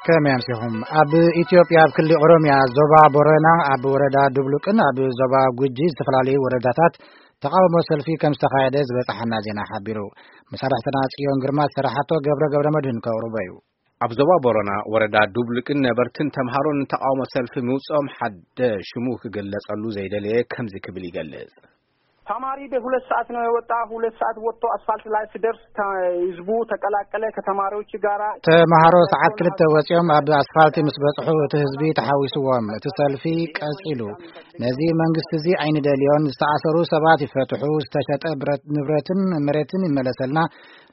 ከመይ ኣምሲኹም? ኣብ ኢትዮጵያ፣ ኣብ ክልል ኦሮምያ፣ ዞባ ቦረና፣ ኣብ ወረዳ ዱብሉቅን ኣብ ዞባ ጉጂ ዝተፈላለዩ ወረዳታት ተቃውሞ ሰልፊ ከም ዝተኻየደ ዝበጽሓና ዜና ሓቢሩ። መሳርሕትና ጽዮን ግርማ ዝሰራሓቶ ገብረ ገብረ መድህን ከቕርቦ እዩ። ኣብ ዞባ ቦረና ወረዳ ዱብሉቅን ነበርትን ተምሃሮን ተቃውሞ ሰልፊ ምውጽኦም ሓደ ሽሙ ክግለጸሉ ዘይደለየ ከምዚ ክብል ይገልጽ። ተማሪ ደ ሁለት ሰዓት ነው የወጣ። ሁለት ሰዓት ወጥቶ አስፋልት ላይ ሲደርስ ተ-፣ ህዝቡ ተቀላቀለ ከተማሪዎች ጋራ። ተማሃሮ ሰዓት ክልተ ወፂኦም ኣብ ኣስፋልቲ ምስ በፅሑ እቲ ህዝቢ ተሓዊስዎም። እቲ ሰልፊ ቀፂሉ። ነዚ መንግስቲ እዚ ኣይንደልዮን። ዝተኣሰሩ ሰባት ይፈትሑ፣ ዝተሸጠ ብረት-፣ ንብረትን መሬትን ይመለሰልና፣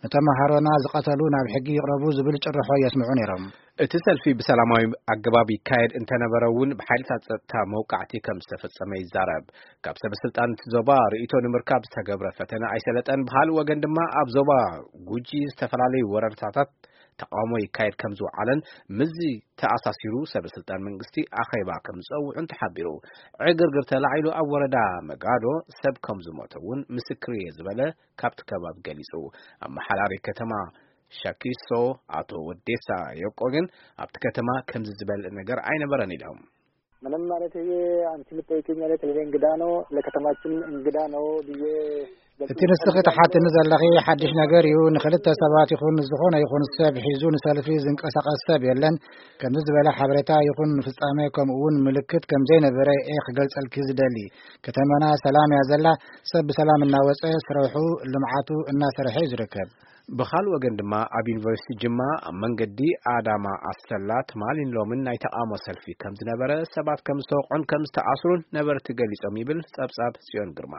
ንተማሃሮና ዝቐተሉ ናብ ሕጊ ይቕረቡ ዝብል ጭርሖ የስምዑ ነይሮም። እቲ ሰልፊ ብሰላማዊ ኣገባብ ይካየድ እንተነበረ እውን ብሓይልታት ጸጥታ መውቃዕቲ ከም ዝተፈጸመ ይዛረብ። ካብ ሰበ ስልጣን እቲ ዞባ ርእይቶ ንምርካብ ዝተገብረ ፈተነ ኣይሰለጠን። ብኻልእ ወገን ድማ ኣብ ዞባ ጉጂ ዝተፈላለዩ ወረዳታት ተቃውሞ ይካየድ ከም ዝውዓለን ምስዚ ተኣሳሲሩ ሰበ ስልጣን መንግስቲ ኣኼባ ከም ዝጸውዑን ተሓቢሩ። ዕግርግር ተላዒሉ ኣብ ወረዳ መጋዶ ሰብ ከም ዝሞተ እውን ምስክር እየ ዝበለ ካብቲ ከባቢ ገሊጹ። ኣመሓዳሪ ከተማ ሻኪሶ ኣቶ ወዴሳ ዮቆ ግን ኣብቲ ከተማ ከምዚ ዝበለ ነገር ኣይነበረን ኢሎም። ምንም ማለት ይሄ አንቺ የምትጠይቂኝ ማለት ለእኔ እንግዳ ነው፣ ለከተማችን እንግዳ ነው ብዬ እቲ ንስኺ ትሓትኒ ዘለኺ ሓድሽ ነገር እዩ። ንኽልተ ሰባት ይኹን ዝኾነ ይኹን ሰብ ሒዙ ንሰልፊ ዝንቀሳቐስ ሰብ የለን። ከምዚ ዝበለ ሓበሬታ ይኹን ፍጻሜ ከምኡ እውን ምልክት ከም ዘይነበረ እየ ክገልጸልኪ ዝደሊ። ከተማና ሰላም እያ ዘላ። ሰብ ብሰላም እናወጸ ስርሑ ልምዓቱ እናሰርሐ እዩ ዝርከብ። ብኻልእ ወገን ድማ ኣብ ዩኒቨርሲቲ ጅማ ኣብ መንገዲ ኣዳማ ኣሰላ ትማሊን ሎምን ናይ ተቓውሞ ሰልፊ ከም ዝነበረ፣ ሰባት ከም ዝተወቕዑን ከም ዝተኣስሩን ነበርቲ ገሊጾም ይብል ጸብጻብ ጽዮን ግርማ።